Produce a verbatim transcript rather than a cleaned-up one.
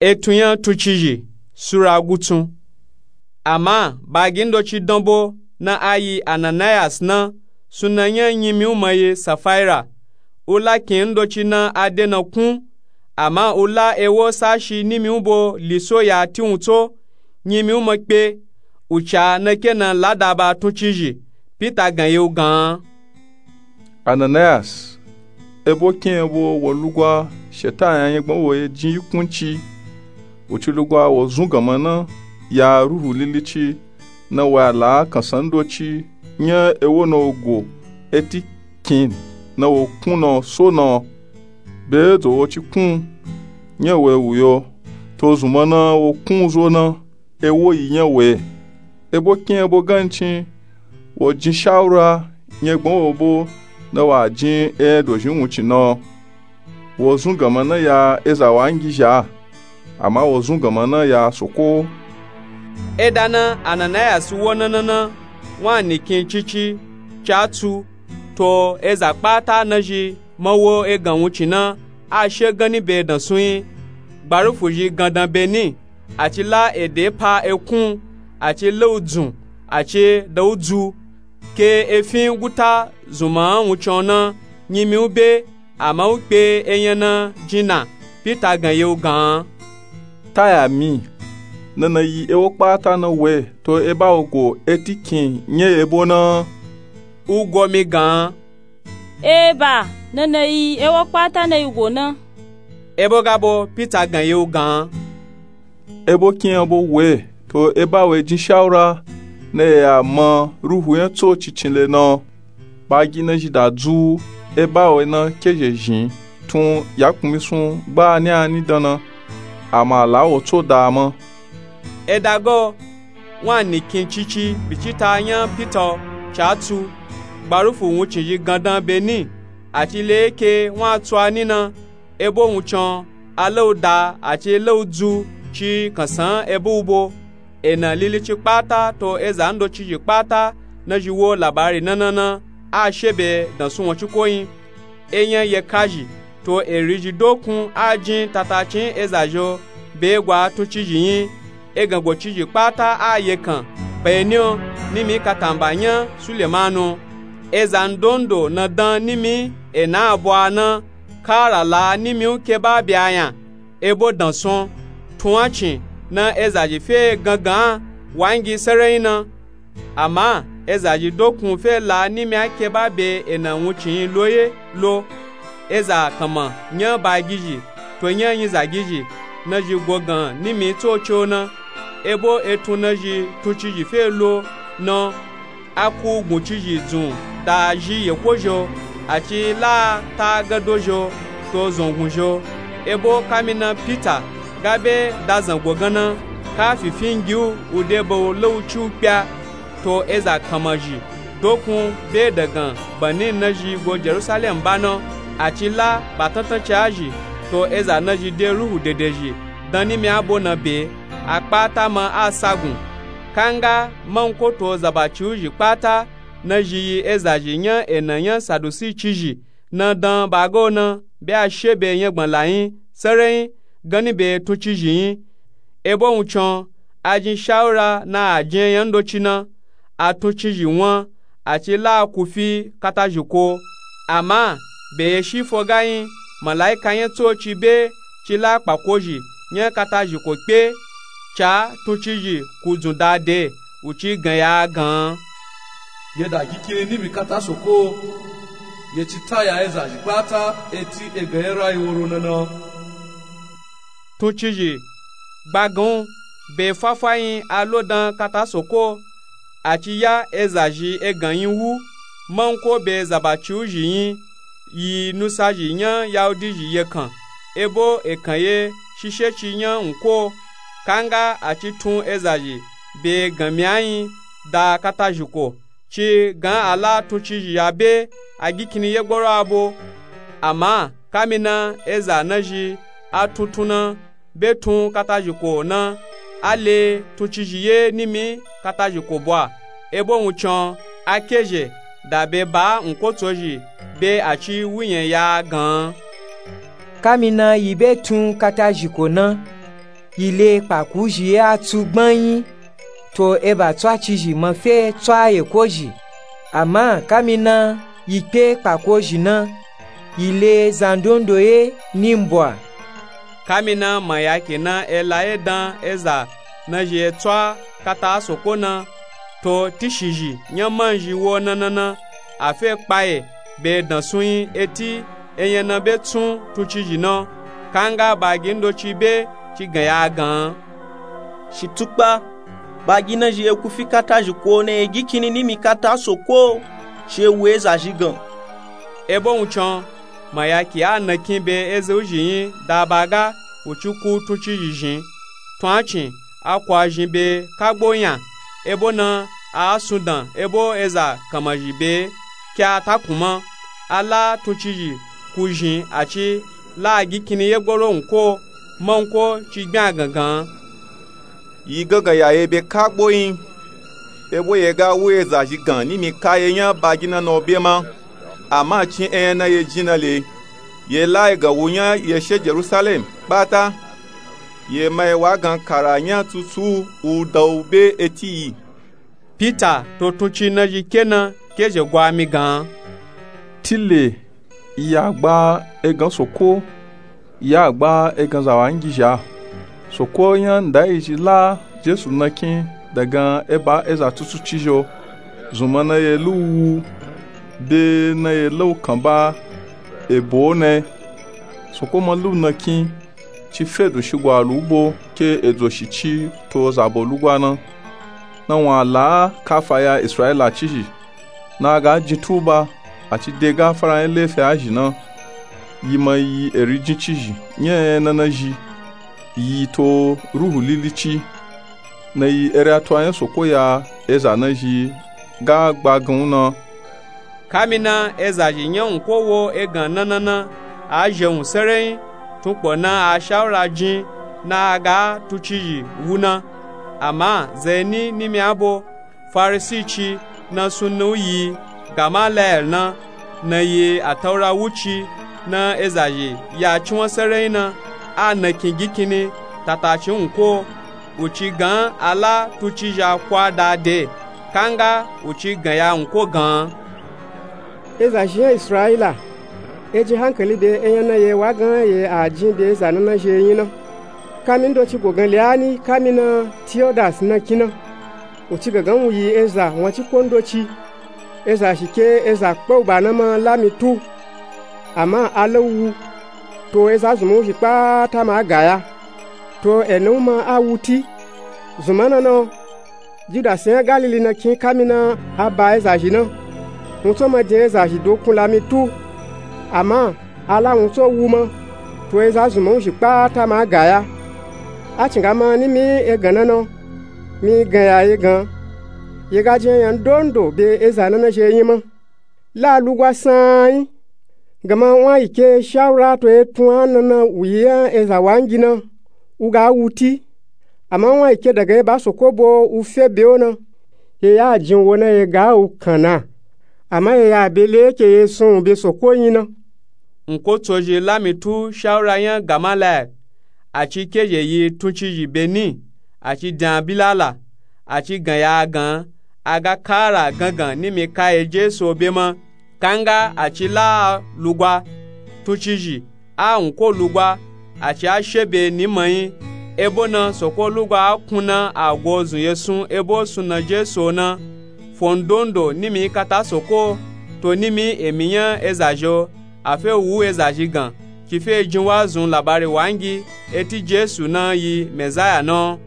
Etun nya tuncizhi sura gutsun. Ama bagi ndoci danbo na a yi ananayas na, suna nya nyimiwuma ye safaira. U la kin ndoci na a de na kun. Ama u la ewo sashi nimiwubo liso ya tiwun tso. Nyimiwuma kpe. U ca na ke na lada ba tuncizhi. Pita gan ye u gan. Ananayas, ebo kin ebo wo lugwa shetan ya nyegban wo ye jin yi kunci. U ci lugwa wo zun ganma na ya ruhu lilici na wa la kansan ndoci nya ewo na wo go eti kin na wo kun na so na. Be zo wo ci kun nya we wu yo to zunma na wo kun zo na. Ewo yi nya we. Ebo kin ebo gancin wo jin shawura nyegban wo bo na wa jin e dozhin wuncin na. Wo zun ganma na ya eza wa ngi zha. Ama wo zun ganma na ya soko. Eda na ananayas wo na na na wa nikin cici ca tsu to eza kpata na zhi ma wo egan wuncin na a she ganni be dansun yi. Gbarufu zhi gandan be ni. A ci la ede pa ekun. A ci la u dzun. A ci da u dzu. Ke efin guta zunma wuncin na nyimiwu be. Ama u kpe enya na jin na. Pita gan ye u gan. Taya mi. Na na yi ewo kpata na we to eba wo go eti kin nye ebo na. U go mi gan. Eba, na na yi ewo kpata na yi go na. Ebo gabo pita gan ye u gan. Ebo kin abo we to eba we jin shawura na ya ma ruhu nya tso cicin le na. Bagi na zhi da dzu eba we na ke zhe zhin tun ya kunmi sun gba ni ani dan na. Ama la wo tso da ma. Eda go wa nikin cici bicita nya pita ca tsu. Gbarufu wuncin zhi gandan be ni. A ci le eke wa tsu ani na. Ebo wuncin a la u da a ci la u dzu ci kansan ebo u bo. Ena lilici kpata to eza ndocizhi kpata na zhi wo labari na na na a she be dansun wancin ko yi. Enya ye ka zhi to eri zhi dokun a jin tatacin eza zho be gwa tuncizhi yi. Egan gocizhi kpata a ye kan. Beni o nimi katamba nya sulemanu. Eza ndondo na dan nimi ena abo a na. Kara la nimi u ke ba be a nya. Ebo dansun tun a cin na eza zhi fe gangan a wa ngi serenyi na. Ama eza zhi dokun fe la nimi a ke ba be ena wuncin yi lo ye lo. Eza kanma nya bagizhi to nya nyizagizhi na zhi gogan nimi tso co na. Ebo etun na zhi tuncizhi fe lo na. A ku guncizhi dzun da zhi yeko zho. A ci la ta gado zho to zongun zho. Ebo kamina pita ga be da zango gan na ka fifi ngi u u de ba u la u ci u kpya. To eza kanma zhi dokun be dagan bani na zhi go jerusalem ba na. A ci la ba tantan ci a zhi to eza na zhi de ruhu dede zhi dan nimi a bo na be. A kpata ma a sagun. Kanga manko to zabaci u zhi kpata na zhi yi eza zhi nya ena nya sadusi cizhi na dan ba ga o na be a she be nyagban la yi serenyi ganni be tuncizhi yi. Ebo wuncin a jin shawura na a jin enya ndoci na. A tuncizhi wan a ci la a ku fi katazhiko. Ama be ye shi fo ga yi malaika nya tsoci be ci la kpakozhi nya katazhiko kpe. Ca tuncizhi ku dzun da de u ci gan ya gan. Ye da gi kini nimi kata soko. Ye ci taya eza zhi kpata eti egan ye rayi woro na na. Tuncizhi gbagan u be fafayin a lo dan kata soko. A ci ya eza zhi egan yin wu manko be zabaci u zhi yin. Yi nusa zhi nya yahudi zhi ye kan ebo ekan ye shishe ci nya nko. Kanga a ci tun eza zhi be ganmi a yin da katazhiko ci gan a la tuncizhi ya be a gi kini ye gboro a bo. Ama kamina eza na zhi a tuntun na be tun katazhiko na. A le tuncizhi ye nimi katazhiko bwa. Ebo wuncin a kezhe da be ba nkotsozhi be a ci wuyen ya gan. Kamina yi be tun katazhiko na. yi le kpaku zhi ye a tsu gbanyị, to eba tswacizhi ma fe tswa yekozhi. Ama kamina yi kpe kpaku zhi na, yi le zandondo ye ni mbwa. Kamina mayaki na ela ye dan eza na zhi ye tswa kata soko na, to tishizhi nya manzhi wo nanana, a fe kpaye be dansunyi eti enya na be tsun tuncizhi na. Kanga bagi ndoci be ci gan ya gan. Shi tukpa, bagi na zhi ye ku fi kata zhi ko na ye gi kini nimi kata soko, shi ye wu eza zhi gan. Ebo wuncin mayaki a nakin be eza uzhi nyi da ba ga wu ci ku tuncizhi zhin. Tun a cin a kwa zhin be kagbo nya, ebo na a sundan ebo eza kanmazhi be ke a takun ma. A la tuncizhi ku zhin a ci la a gi kini ye gboro nko, manko ci gbin a gangan. Yi gangan ya ye be kagbo nyi, ebo ye ga wu eza zhi gan nimi ka ye nya bagi na na o be ma. Ama cin enya na ye jin na le, ye la ye gan wu nya ye she Jerusalem kpata. Ye ma ye wa gan kara nya tsutsu u da u be eti yi. Pita to tunci na zhi ke na ke zhe gwa mi gan. Tile, ya gba egan soko, ya gba egan zawangizhi a. Soko nya nda yi zhi la Jesu nakin dagan eba eza tutuci zho, zunma na ye lu wu, be na ye la u kan ba ebo ne. Soko ma lu nakin ci fe do shi gwa lu bo ke edzo shi ci to zabo lugwa na. Na wun a la kafa ya Israila cizhi, na a ga jin tuba, a ci de gafara nya lefi a zhi na. Yi ma yi eri jin cizhi nya enya na na zhi, yi to Ruhu Lili ci, na yi eri atuwa nya soko ya eza na zhi ga gba gan u na. Kamina eza zhi nya nko wo egan nanana a zhe wun serenyi, tunkpo na a shawura jin na a ga tuncizhi wu na. Ama zeni nimi a bo, Farisi ci na sunna u yi Gamalayel na, na yi ataura wu ci, na eza zhi ya cinwa serenyi na, a nakin gi kini tataci nko. Wu ci gan a la tuncizhi a kwa da de, kanga wu ci gan ya nko gan. Eza zhi nya Israila, e jin hankali be enya na ye wa gan ye a jin be eza na na zhi ye nyi na. Kami ndoci gogan le a ni kamina Tiyodasi nakin na, wu ci gangan wu yi eza wun a ci ko ndoci. Eza zhi ke eza kpe u ba na ma la mi tu, ama a la u wu, to eza zunma u zhi kpata ma a ga ya. To ena u ma a wu ti. Zunma na na, Judasi nya Galili nakin kamina a ba eza zhi na. Wun tso ma jin eza zhi do kun la mi tu, ama a la wun tso wu ma, to eza zunma u zhi kpata ma a ga ya. A cinga ma nimi egan na na, mi gan ya ye gan. Ye ga jin enya ndondo be eza na na zhi ye nyi ma. La lugwa sanyi, gama wun a yi ke shawura to ye tun a na na wu yi nya eza wangi na, u ga wu ti. Ama wun a yi ke dagan eba soko bo u fe be o na, ye ya jin wo na ye ga u kan na. Ama ye ya be le ke ye sun u be soko nyi na. Nko tso zhi la mi tu shawura nya Gamalayel, a ci ke zhe yi tuncizhi be ni, a ci din a bilala, a ci gan ya a gan, a ga kara gangan nimi ka ye Jesu o be ma. Kanga a ci la a lugwa tuncizhi, a nko lugwa, a ci a she be ni manyi. Ebo na soko lugwa a kun na a go zun ye sun ebo sunna Jesu o na. Fo ndondo nimi kata soko, to nimi emi nya eza zhi o, a fe wu eza zhi gan, ci fe jin wa zun labari wangi eti Jesu na yi Mezaya na.